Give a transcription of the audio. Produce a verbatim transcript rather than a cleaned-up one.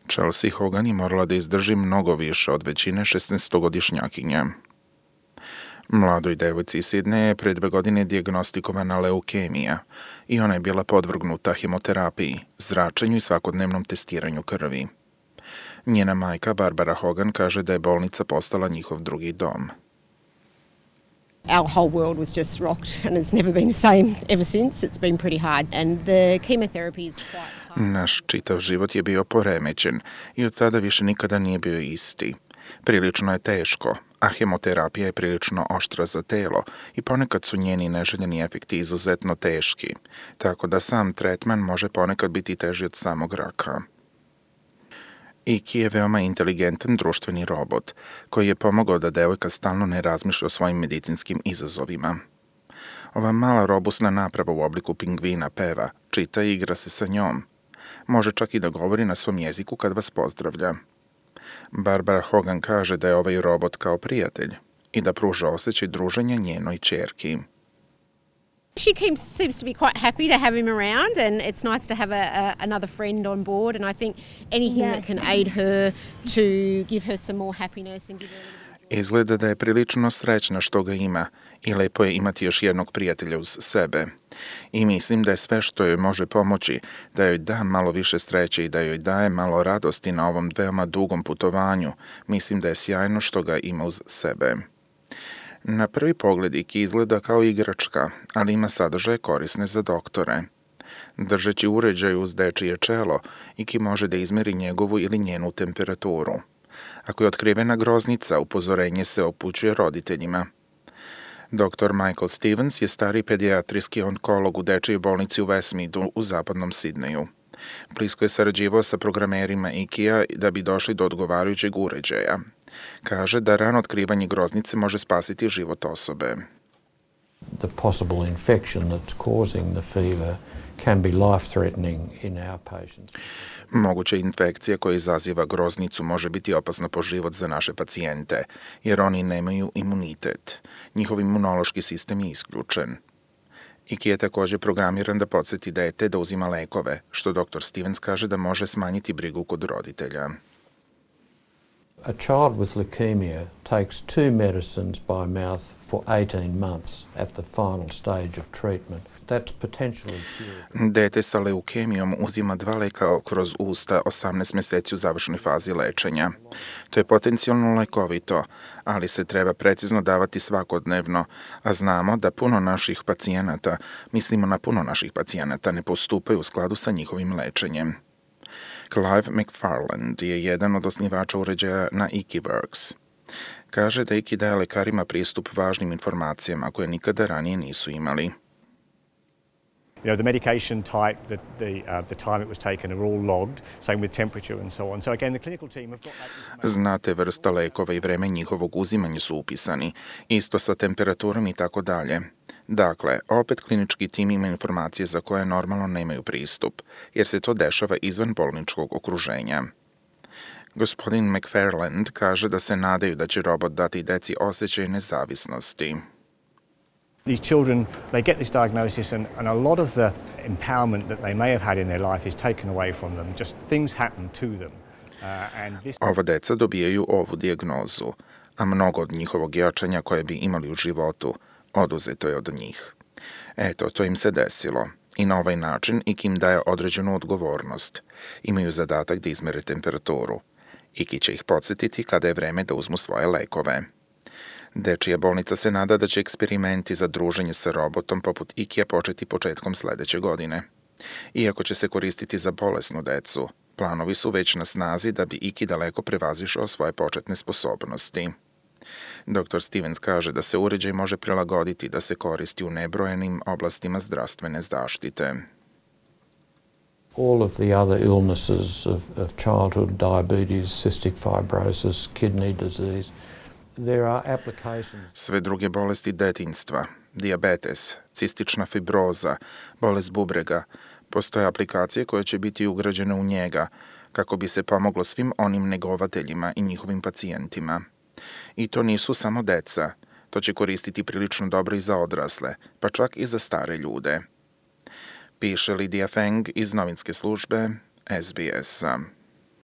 Chelsea Hogan je morala da izdrži mnogo više od većine šesnaestogodišnjakinja. Mladoj devojci iz Sidneja je pre dve godine dijagnostikovana leukemija i ona je bila podvrgnuta hemoterapiji, zračenju i svakodnevnom testiranju krvi. Njena majka Barbara Hogan kaže da je bolnica postala njihov drugi dom. Our whole world was just rocked and it's never been the same ever since. It's been pretty hard and the chemotherapy is quite hard. Naš čitav život je bio poremećen i od tada više nikada nije bio isti. Prilično je teško, a hemoterapija je prilično oštra za telo i ponekad su njeni neželjeni efekti izuzetno teški, tako da sam tretman može ponekad biti teži od samog raka. Iki je veoma inteligentan društveni robot, koji je pomogao da devojka stalno ne razmišlja o svojim medicinskim izazovima. Ova mala robusna naprava u obliku pingvina peva, čita i igra se sa njom. Može čak i da govori na svom jeziku kad vas pozdravlja. Barbara Hogan kaže da je ovaj robot kao prijatelj i da pruža osjećaj druženja njenoj ćerki. She seems, seems to be quite happy to have him around and it's nice to have a, a, another friend on board and I think anything yeah. that can aid her to give her some more happiness and give her a little bit... Izgleda da je prilično srećna što ga ima i lepo je imati još jednog prijatelja uz sebe. I mislim da je sve što joj može pomoći da joj da malo više sreće i da joj daje malo radosti na ovom veoma dugom putovanju. Mislim da je sjajno što ga ima uz sebe. Na prvi pogled Iki izgleda kao igračka, ali ima sadržaje korisne za doktore. Držeći uređaj uz dečije čelo, Iki može da izmeri njegovu ili njenu temperaturu. Ako je otkrivena groznica, upozorenje se upućuje roditeljima. doktor Michael Stevens je stari pedijatrijski onkolog u dečijoj bolnici u Westmeadu u zapadnom Sidneju. Blisko je sarađivao sa programerima Ikija da bi došli do odgovarajućeg uređaja. Kaže da rano otkrivanje groznice može spasiti život osobe. The possible infection that's causing the fever can be life-threatening in our patients. Moguća infekcija koja izaziva groznicu može biti opasna po život za naše pacijente, jer oni nemaju imunitet. Njihov imunološki sistem je isključen. Iki je također programiran da podsjeti dete da uzima lekove, što doktor Stevens kaže da može smanjiti brigu kod roditelja. A child with leukemia takes two medicines by mouth for eighteen months at the final stage of treatment. That's potentially curative. Dete sa leukemijom uzima dva leka kroz usta osamnaest mjeseci u završnoj fazi lečenja. To je potencijalno lekovito, ali se treba precizno davati svakodnevno, a znamo da puno naših pacijenata, mislimo na puno naših pacijenata, ne postupaju u skladu sa njihovim lečenjem. Clive McFarland je jedan od osnivača uređaja na IkiWorks. Kaže da Iki daje lekarima pristup važnim informacijama koje nikada ranije nisu imali. You know, the medication type, the, the, uh, the time it was taken are all logged, same with temperature and so on. So again, the clinical team have got that information. Znate, vrsta lekova i vreme njihovog uzimanja su upisani, isto sa temperaturom i tako dalje. Dakle, opet klinički tim ima informacije za koje normalno nemaju pristup, jer se to dešava izvan bolničkog okruženja. Gospodin McFarland kaže da se nadaju da će robot dati deci osjećaj nezavisnosti. These children, they get this diagnosis and, and a lot of the empowerment that they may have had in their life is taken away from them. Just things happen to them. Uh, and this... Ova deca dobijaju ovu dijagnozu, a mnogo od njihovog jačanja koje bi imali u životu oduzeto je od njih. Eto, to im se desilo. I na ovaj način Iki im daje određenu odgovornost. Imaju zadatak da izmere temperaturu. Iki će ih podsjetiti kada je vreme da uzmu svoje lekove. Dečija bolnica se nada da će eksperimenti za druženje sa robotom poput Ikija početi početkom sledeće godine. Iako će se koristiti za bolesnu decu, planovi su već na snazi da bi Iki daleko prevazišao svoje početne sposobnosti. doktor Stevens kaže da se uređaj može prilagoditi da se koristi u nebrojenim oblastima zdravstvene zaštite. All of the other illnesses of, of childhood, diabetes, cystic fibrosis, kidney disease, there are applications. Sve druge bolesti detinjstva, dijabetes, cistična fibroza, bolest bubrega, postoje aplikacije koje će biti ugrađene u njega kako bi se pomoglo svim onim negovateljima i njihovim pacijentima. I to nisu samo deca, to će koristiti prilično dobro i za odrasle, pa čak i za stare ljude. Piše Lidija Feng iz novinske službe S B S-a.